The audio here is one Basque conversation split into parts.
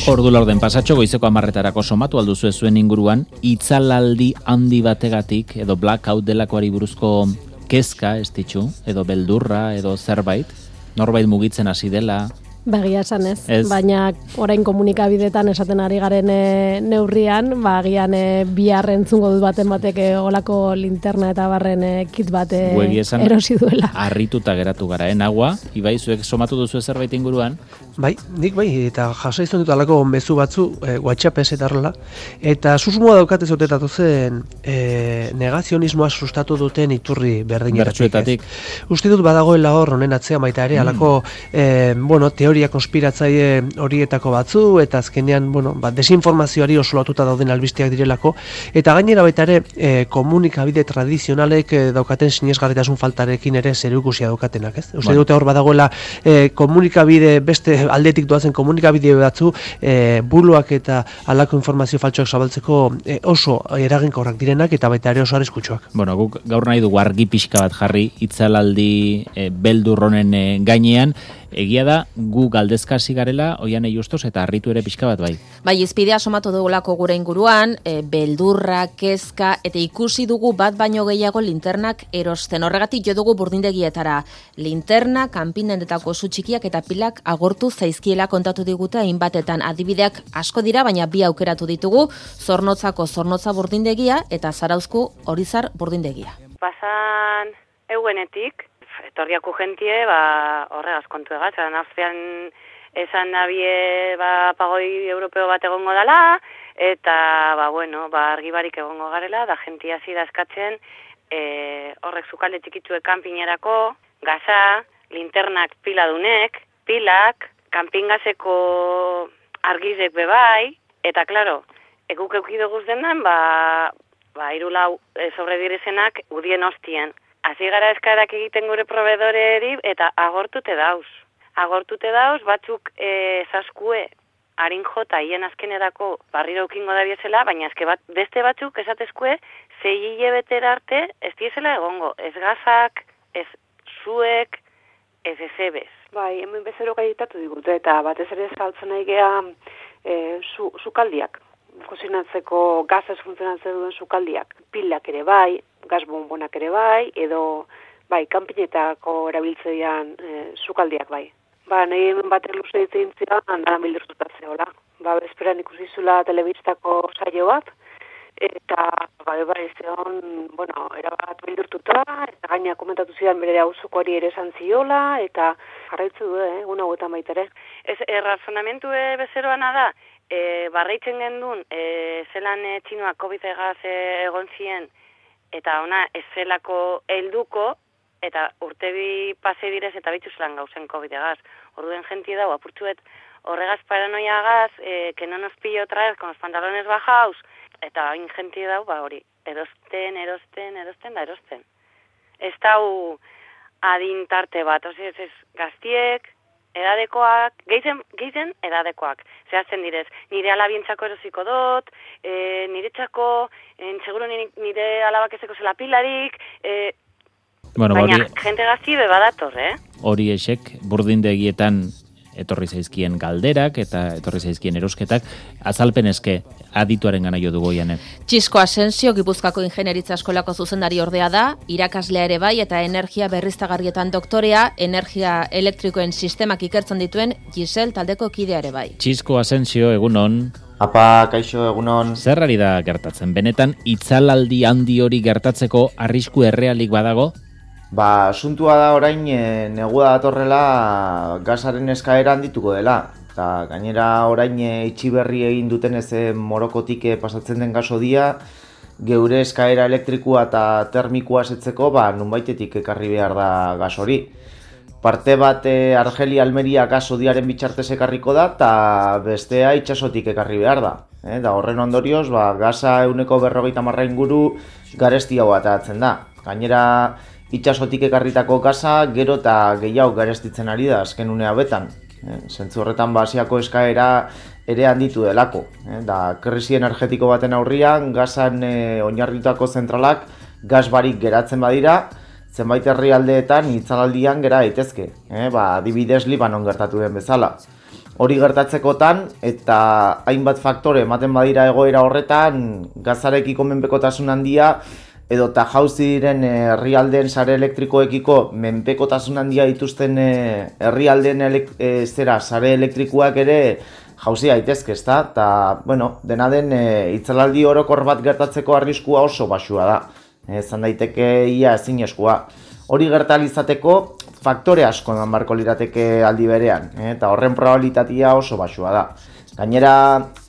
Ordu laurden pasatxo goizeko 10:00 somatu alduzu zuen inguruan itzalaldi handi bategatik edo blackout delakoari buruzko kezka ez ditzu, edo beldurra edo zerbait, norbait mugitzen hasi dela. Bagia esan ez, baina orain komunikabidetan esaten ari garen neurrian, agian bihar entzungo dut baten batek olako linterna eta barren kit bat erosi duela. Harrituta geratu gara, nagua, Ibai, zuek somatu duzu zerbait inguruan? Bai, nik bai, eta jasa izan dut alako mezu batzu, WhatsApp-ez eta horrela, eta susmoa daukatez otetatu zen negazionismoa sustatu duten iturri berdinetatik. Uste dut badagoela hor honen atzean baita ere, alako, teoria konspiratzaile horietako batzu, eta azkenean, desinformazioari oso lotuta dauden albisteak direlako, eta gainera baita ere komunikabide tradizionalek daukaten sinesgarritasun faltarekin ere zerikusia daukatenak, ez? Uste dute hor badagoela komunikabide, beste aldetik doazen komunikabide batzu, buloak eta halako informazio faltsuak zabaltzeko oso eraginkorrak direnak, eta baita ere oso arriskutsuak. Guk gaur nahi dugu argi pixka bat jarri itzalaldi beldurronen gainean. Egia da, gu galdezkasi garela, Oiane Justos, eta harritu ere pixka bat bai. Bai, izpidea somatu dugulako gure inguruan, beldurra, kezka, eta ikusi dugu bat baino gehiago linternak erosten. Horregatik jo dugu burdindegietara. Linterna, kanpinendetako zu txikiak eta pilak agortu zaizkiela kontatu digute hainbatetan. Adibideak asko dira, baina bi aukeratu ditugu, Zornotzako Zornotza burdindegia eta Zarauzko Orizar burdindegia. Pasan euenetik, etorriako jentie, horregaz kontu egaz, Austrian esan nabie pagoi europeo bat egongo dela, eta argibarik egongo garela, da jentia hasi da eskatzen horrek sukalde txikitzuek kanpinerako, gaza, linternak piladunek, pilak, kanpingazeko argizek bebai, eta klaro, eguk eukidoguz dendan, irulau sobredirezenak udien hostien. Hasi gara eskarak egiten gure proveedoreri eta agortute dauz. Agortute dauz, batzuk zaskue harin jota hien azkenerako barriro ukingo da biezela, baina beste batzuk esatezkue 6 hilabetera arte ez diezela egongo. Ez gazak, ez zuek, ez ezebez. Bai, hemen bezero gaitatu digute eta batez ere saltzen nahi geha sukaldiak. Kozinatzeko gazaz funtzionatzen duen sukaldiak. Pilak ere bai, gaz bonbonak ere bai, edo kanpinetako erabiltzean sukaldiak bai. Nahi batek luze ditzen ziren, handan bildurtuta zehola. Bezperan ikusi zula telebistako saio bat, eta zeon, erabat bildurtuta, eta gaina komentatu zidan bere auzukoari ere esan ziola, eta jarraitzu du, egun hauetan baita ere. Ez, razonamentu bezeroana da, barreitzen gendun, zelan txinoak COVID-egaz egon zien, eta ona ez zelako helduko, eta urtebi pase direz eta bitzuzelan gauzen COVID-egaz. Orduen jentie dago, apurtzuet horregaz paranoiagaz, que no nos pillo otra vez con los pantalones bajaus, eta hain jentie dago, hori, erosten. Ez dau adintarte bat, ez gaztiek, edadekoak, gehizen edadekoak. Zehazten direz, nire alabientzako erosiko dut, nire txako, seguro nire alabak ezeko zela pilarik, baina jente gazti bebadator, Hori esek, burdindegietan etorri zaizkien galderak eta etorri zaizkien erosketak, azalpen eske adituaren gana jo dugu Oiane. Txisko Asensio, Gipuzkoako Ingenieritza Eskolako zuzendari ordea da, irakaslea ere bai eta energia berriztagarrietan doktorea, energia elektrikoen sistemak ikertzen dituen Gisel taldeko kidea ere bai. Txisko Asensio, egunon. Apa, kaixo, egunon. Zer ari da gertatzen? Benetan, itzalaldi handi hori gertatzeko arrisku errealik badago? Asuntua da orain negua datorrela gazaren eskaera handituko dela. Eta gainera orain itxiberri egin duten ez Morokotik pasatzen den gasodia, geure eskaera elektrikua eta termikoa setzeko nunbaitetik ekarri behar da gas hori. Parte bat Argelia-Almeria gasodiaren bitartez ekarriko da eta bestea itsasotik ekarri behar da. Da horren ondorioz, gaza 150 inguru garesti hau atatzen da. Gainera itsasotik ekarritako gaza gero eta gehiago garestitzen ari da azken une hauetan. Zentzu horretan Asiako eskaera ere handitu delako. Da krisi energetiko baten aurrian gazan oinarritutako zentralak gas barik geratzen badira, zenbait herrialdeetan itzalaldian gera daitezke. Adibidez Libanon gertatu den bezala. hori gertatzekotan, eta hainbat faktore ematen badira egoera horretan, gazarekiko menpekotasun handia, edo eta jauzi diren herrialdeen sare elektrikoekiko menpekotasun handia dituzten herrialdeen sare elektrikoak ere jauzi daitezke, ezta? Eta, bueno, dena den itzalaldi orokor bat gertatzeko arriskua oso baxua da. Zan daiteke ia ezinezkoa. Hori gertalizateko faktore asko eman barko lirateke aldi berean, eta horren probabilitatea oso baxua da. Gainera,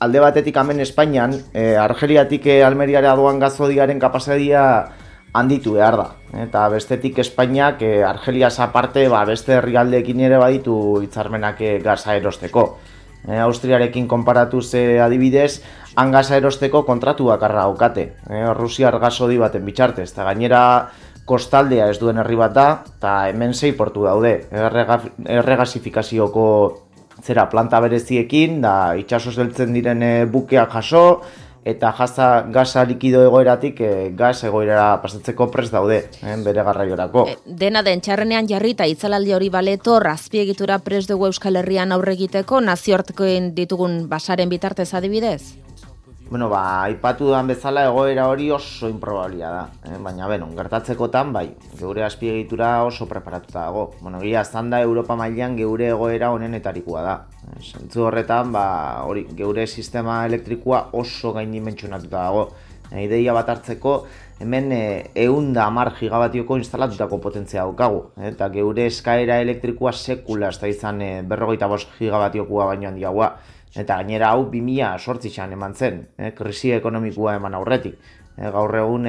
alde batetik hemen Espainian, Argeliatik Almeriara doan gazodiaren kapazidadia handitu behar da. Eta bestetik Espainiak Argeliaz aparte beste herrialdeekin ere baditu hitzarmenak gaza erosteko. Austriarekin konparatuz adibidez, han gaza erosteko kontratu bakarra daukate. Rusiar gazodi baten bitxartez, eta gainera kostaldea ez duen herri bat da, eta hemen 6 portu daude. Erregazifikazioko planta bereziekin, da itxasoz heltzen diren bukeak jaso, eta gaza likido egoeratik gaz egoerara pasatzeko prest daude, bere garraiorako. Dena den txarrenean jarrita itzalaldi hori baletor, azpiegitura prest dugu Euskal Herrian aurre egiteko, nazioartekoen ditugun basaren bitartez adibidez? Bueno, aipatu duan bezala egoera hori oso improbablia da, baina gertatzekotan geure azpiegitura oso preparatuta dago. Gila zanda Europa mailan geure egoera honenetarikoa da. Zentzu horretan, geure sistema elektrikoa oso gaindimentsionatuta dago. Ideia bat hartzeko, hemen 110 gigabatioko instalatutako potentzia daukagu. Eta geure eskaera elektrikoa sekula ez da izan 45 gigabatiokoa baino handiagoa. Eta gainera hau 2008an eman zen, krisi ekonomikoa eman aurretik. Gaur egun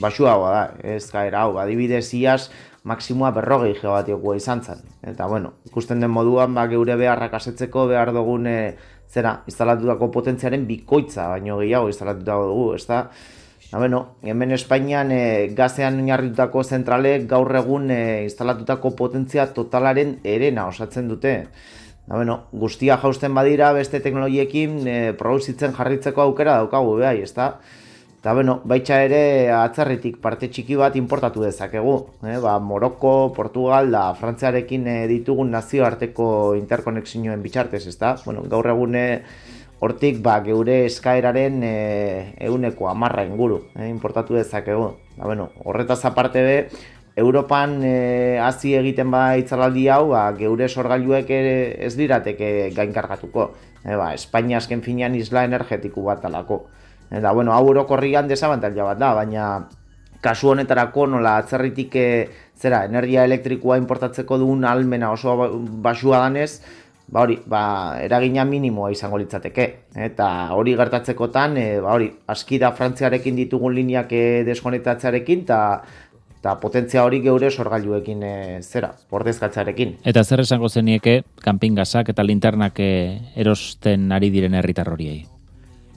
baxuagoa da, eskaera hau. Adibidez iaz, maksimoa 40 gigabatiokoa izan zen. Eta ikusten den moduan geure beharrak asetzeko behar dugun instalatutako potentziaren bikoitza, baino gehiago instalatutako dugu, ezta? Hemen Espainian gazean oinarritutako zentralek gaur egun instalatutako potentzia totalaren herena osatzen dute. Guztia jausten badira beste teknologiekin produzitzen jarritzeko aukera daukagu behai, ezta? Eta baita ere atzerritik parte txiki bat importatu dezakegu. Moroko, Portugal da Frantziarekin ditugun nazioarteko interkonexioen bitxartez, ezta? Gaur egun hortik geure eskaeraren 10% inguru importatu dezakegu. Horretaz aparte be, Europan hasi egiten itzalaldi hau, geure sorgailuek ez dirateke gainkargatuko. Espainia azken finean isla energetiku bat alako. Eta hau orokorrian desabantaila bat da, baina kasu honetarako nola atzerritik energia elektrikoa importatzeko duen ahalmena oso baxua danez, eragina minimoa izango litzateke. Eta hori gertatzekotan, aski da Frantziarekin ditugun lineak deskonektatzearekin, eta potentzia hori geure sorgailuekin ordezkatzearekin. Eta zer esango zenieke kanpingazak eta linternak erosten ari diren herritar horiei?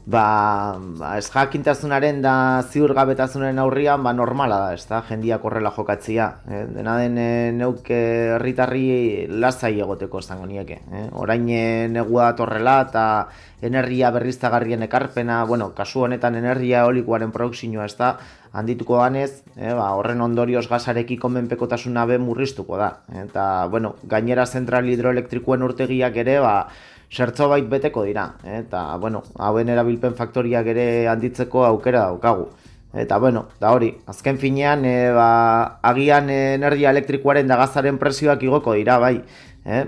Ez jakintasunaren da ziurgabetasunaren aurrian normala da, ez da, jendiak horrela jokatzia. Dena den neuk herritarri lasai egoteko esango nieke. Orain negua datorrela eta energia berriztagarrien ekarpena, kasu honetan energia eolikoaren produkzioa ez da, handituko danez, horren ondorioz gazarekiko menpekotasuna murriztuko da. Eta, gainera zentral hidroelektrikoen urtegiak ere, zertzo bait beteko dira. Eta, hauen erabilpen faktoriak ere handitzeko aukera daukagu. Eta, da hori, azken finean, agian energia elektrikoaren da gazaren prezioak igoko dira, bai.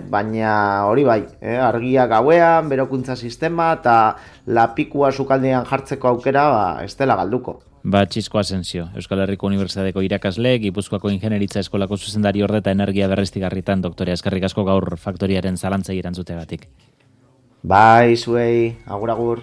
Baina hori bai, argia gauean, berokuntza sistema eta lapikua sukaldean jartzeko aukera ez dela galduko. Txisko Asensio, Euskal Herriko Unibertsitateko irakasle, Gipuzkoako Ingenieritza Eskolako zuzendari orde eta energia berriztigarritan doktorea. Eskerrik asko gaur faktoriaren zalantzei erantzuteagatik. Bai, zuei, agur.